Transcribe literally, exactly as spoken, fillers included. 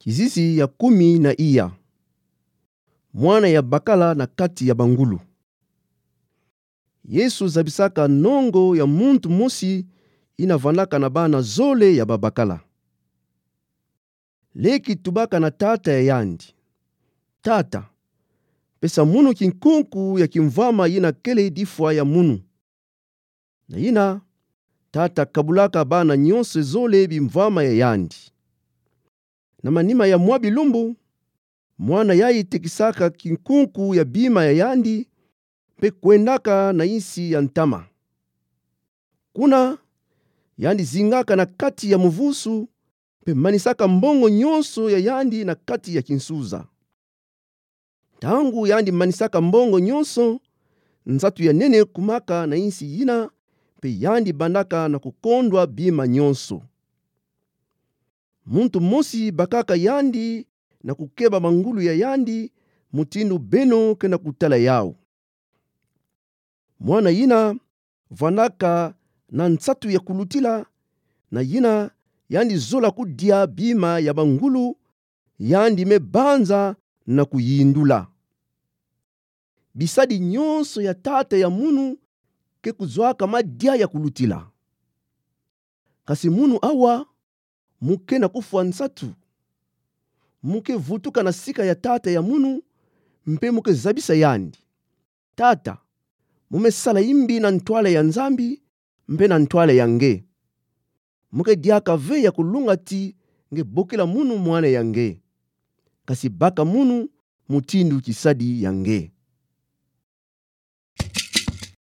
Kizizi ya kumi na iya. Mwana ya bakala na kati ya bangulu. Yesu zabisaka nongo ya muntu mosi ina vandaka na bana zole ya babakala. Leki tubaka na tata ya yandi: Tata, pesa munu kinkunku ya kimvwama ina kele difwa ya munu. Na ina, tata kabulaka bana nyonso zole bimvwama ya yandi. Na manima ya mwa bilumbu, mwana yayi tekisaka kinkunku ya bima ya yandi, mpe kwendaka na insi ya ntama. Kuna, yandi zingaka na kati ya muvusu, mpe manisaka mbongo nyonso ya yandi na kati ya kinsuza. Ntangu yandi manisaka mbongo nyonso, nsatu ya nene kumaka na insi ina, mpe yandi bandaka na kukondwa bima nyonso. Muntu mosi bakaka yandi na kukeba mangulu ya yandi, mutindu beno ke na kutala yau. Mwana ina vandaka na nsatu ya kulutila, na ina yandi zola kudia bima ya bangulu, yandi me banza na kuyindula. Bisadi nyonso ya tata ya munu ke kuzwaka madia ya kulutila. Kasi munu awa, mu ke na kufwa nsatu, mu ke vutuka na sika ya tata ya munu, mpe mu ke zabisa yandi: Tata, mu me sala imbi na ntwala ya Nzambi, mpe na ntwala ya nge. Mu ke diaka ve ya kulunga ti nge bokila munu mwana ya nge, kasi baka munu mutindu kisadi ya nge.